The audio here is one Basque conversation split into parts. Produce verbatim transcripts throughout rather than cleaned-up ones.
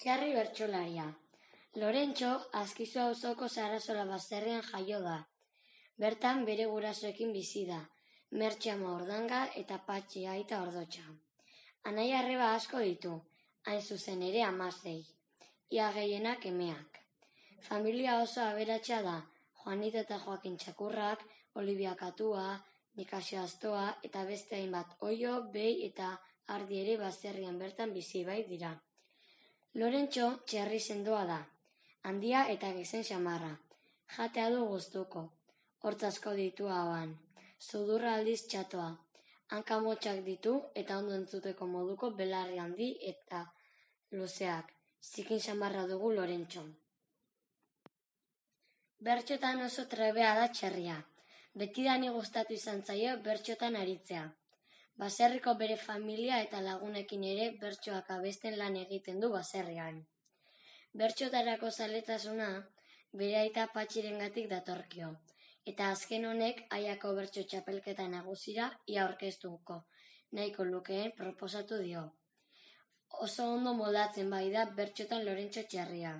Txarri bertsolaria. Lorentxo Azkizu auzoko Sarasola baserrian jaio da. Bertan bere gurasoekin bizi da, Mertxe ama Ordanga eta Patxi aita Ordotxa. Anaia arreba asko ditu, hain zuzen ere hamasei, ia gehienak emeak. Familia oso aberatsa da, Juanito eta Joakin Txakurrak, Olivia Katua, Nikasio Astoa eta beste hainbat Oio, Behi eta Ardi ere baserrian bertan bizi bai dira. Lorentxo txerri sendoa da, handia eta gizen xamarra. Jatea du gustuko, hortz asko ditu ahoan, sudurra aldiz txatoa, hanka motxak ditu eta ondo entzuteko moduko belarri handi eta luzeak. Zikin xamarra dugu Lorentxo. Bertxotan oso trebea da txerria. Betidani gustatu izan zaio bertxotan aritzea. Baserriko bere familia eta lagunekin ere bertsoak abesten lan egiten du baserrian. Bertxotarako zaletasuna bere aita Patxirengatik datorkio, eta azken honek aiako bertso txapelketa nagusira ia aurkeztuko nahiko lukeen proposatu dio. Oso ondo moldatzen bai da bertxotan Lorentxo txerria.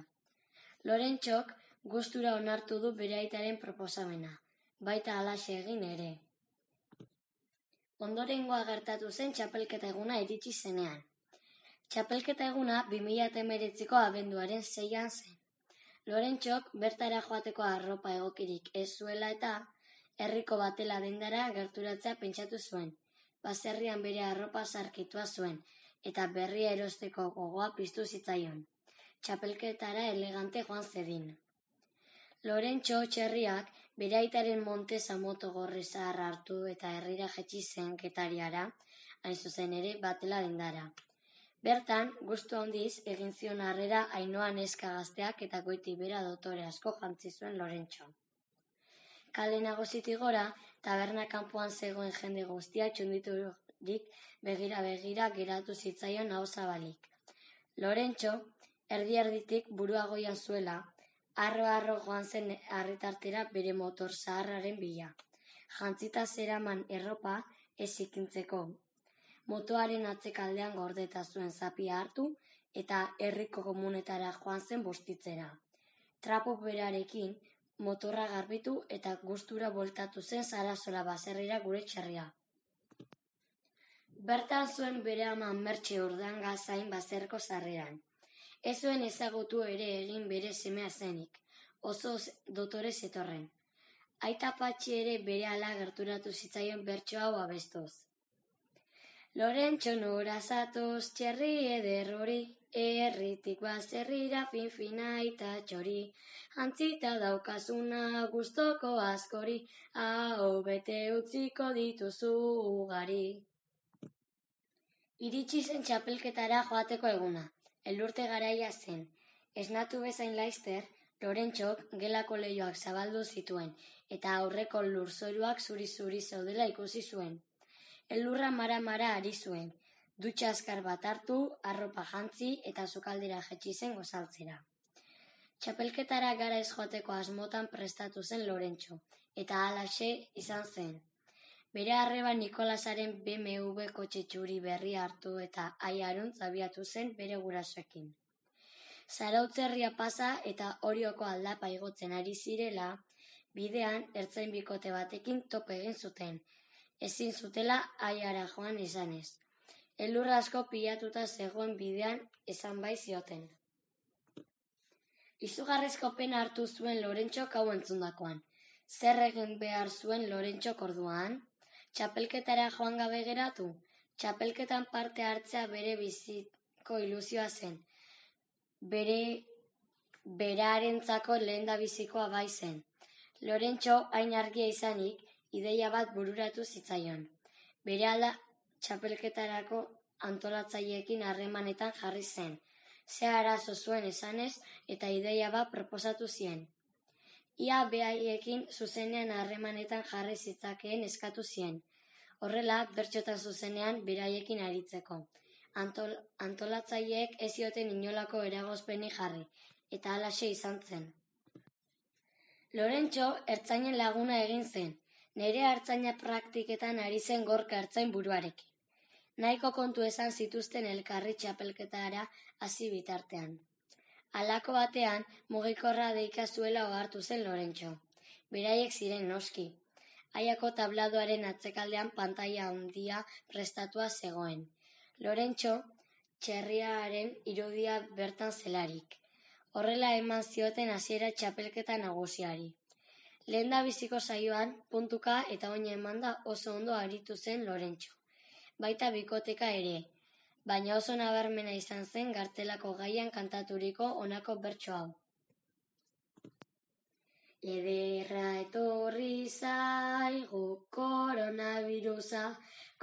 Lorentxok gustura onartu du bere aitaren proposamena, baita halaxe egin ere. Ondorengoa gertatu zen txapelketa eguna iritsi zenean. Txapelketa eguna bi mila hemeretziko abenduaren seian zen. Lorentxok bertara joateko arropa egokirik ez zuela eta herriko batela dendara gerturatzea pentsatu zuen. Baserrian bere arropa zarkitua zuen eta berria erosteko gogoa piztu zitzaion. Txapelketara elegante joan zedin. Lorentxo txerriak bere aitaren Montesa moto gorri zaharra hartu eta herrira jetzi zen Getariara, hain zuzen ere batela dendara. Bertan, gustu handiz egin zion harrera Ainhoa neska gazteak eta goiti bera dotore asko jantzi zuen Lorentxo. Kale nagusitik gora, taberna kanpoan zegoen jende guztia txunditurik begira-begira geratu zitzaion aho zabalik. Lorentxo, erdi-erditik burua goian zuela, arro-arro joan zen harritartera bere motor zaharraren bila. Jantzita zeraman erropa ez zikintzeko. Motoaren atzekaldean gordeta zuen zapia hartu eta herriko komunetara joan zen bustitzera. Trapo berarekin motorra garbitu eta gustura bueltatu zen Sarasola baserrira gure txerria. Bertan zuen bere ama Mertxe Ordanga zain baserriko sarreran. Ez zuen ezagutu ere egin bere semea zenik, oso dotore zetorren. Aita Patxi ere berehala gerturatu zitzaion bertso hau abestuz. Lorentxo nora zatoz txerri eder hori, herritik baserrira fin-fina aita txori, jantzita daukazuna gustoko askori, aho bete utziko dituzu ugari. Iritsi zen txapelketara joateko eguna. Elurte garaia zen. Esnatu bezain laizter, Lorentxok gelako leihoak zabaldu zituen eta aurreko lurzoruak zuri-zuri zeudela ikusi zuen. Elurra mara-mara ari zuen, dutxa azkar bat hartu, arropa jantzi eta sukaldera jetzi zen gozaltzera. Txapelketara gara ez joateko asmotan prestatu zen Lorentxo, eta halaxe izan zen. Bere arreba Nikolasaren B M W kotxe txuri berria hartu eta aiaruntz abiatu zen bere gurasoekin. Zarautzerria pasa eta Orioko aldapa igotzen ari zirela, bidean ertzain bikote batekin topo egin zuten, ezin zutela aiara joan izanez. Elurra asko pilatuta zegoen bidean esan bai zioten. Izugarrizko pena hartu zuen Lorentxok hau entzundakoan. Zer egin behar zuen Lorentxok orduan? Txapelketara joan gabe geratu? Txapelketan parte hartzea bere biziko ilusioa zen. Bere berarentzako lehenda bizikoa bai zen. Lorentxo hain argia izanik, ideia bat bururatu zitzaion. Berehala txapelketarako antolatzaileekin harremanetan jarri zen. Ze arazo zuen esanez eta ideia bat proposatu zien. Ia behaiekin zuzenean harremanetan jarri zitzakeen eskatu zien. Horrela, bertxotan zuzenean beraiekin aritzeko. Antol, antolatzaileek ez zioten inolako eragozpenik jarri, eta halaxe izan zen. Lorentxo ertzainen laguna egin zen, nere ertzaina praktiketan ari zen Gorka ertzain buruarekin. Nahiko kontu esan zituzten elkarri txapelketara hasi bitartean. Halako batean, mugikorra deika zuela ohartu zen Lorentxo. Beraiek ziren noski. Aiako tabladoaren atzekaldean pantaila handia prestatua zegoen. Lorentxo, txerriaren irudia bertan zelarik. Horrela eman zioten hasiera txapelketa nagusiari. Lehendabiziko saioan, puntuka eta oina emanda oso ondo aritu zen Lorentxo. Baita bikoteka ere, baina oso nabarmena izan zen gartelako gaian kantaturiko honako bertso hau. Ederra etorri zaigu koronabirusa,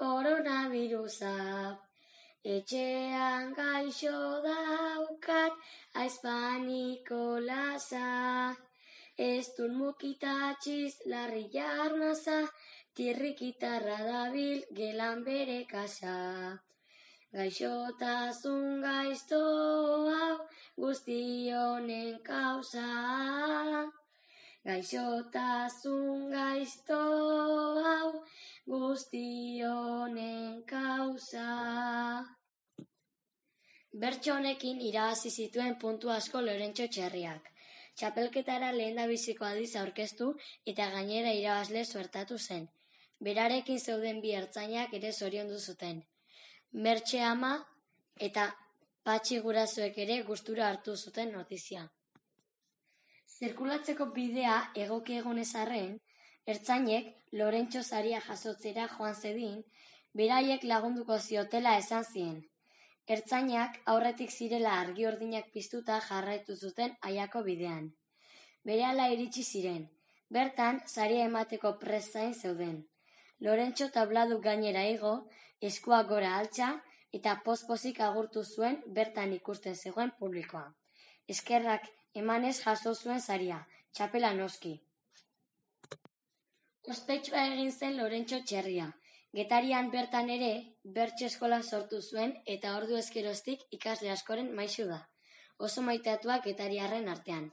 koronabirusa. Etxean gaixo daukat aizpaniko lasa. Ez dut mukitatxiz larri jarnaza, tirrikitarra dabil gelan bere kasa. Gaixotasun gaizto hau guztionen kausa. Gaixotasun gaizto hau guztionen kausa. Bertso honekin irabazi zituen puntu asko Lorentxo Txerriak. Txapelketara lehendabiziko aldiz aurkeztu eta gainera irabazle suertatu zen. Berarekin zeuden bi ertzainak ere zoriondu zuten. Mertxe ama eta Patxi gurasoek ere gustura hartu zuten notizia. Zirkulatzeko bidea egoki egonez arren, ertzainek Lorentxo saria jasotzera joan zedin, beraiek lagunduko ziotela esan zien. Ertzainak aurretik zirela argi urdinak piztuta jarraitu zuten Aiako bidean. Berehala iritsi ziren, bertan saria emateko prest zain zeuden. Lorentxo tabladu gainera igo, eskuak gora altxa eta poz-pozik agurtu zuen bertan ikusten zegoen publikoa. Eskerrak emanez jaso zuen saria, txapela noski. Ospetsua egin zen Lorentxo Txerria. Getarian bertan ere, bertso eskola sortu zuen eta ordu ezkeroztik ikasle askoren maisu da. Oso maitatua getariarren artean.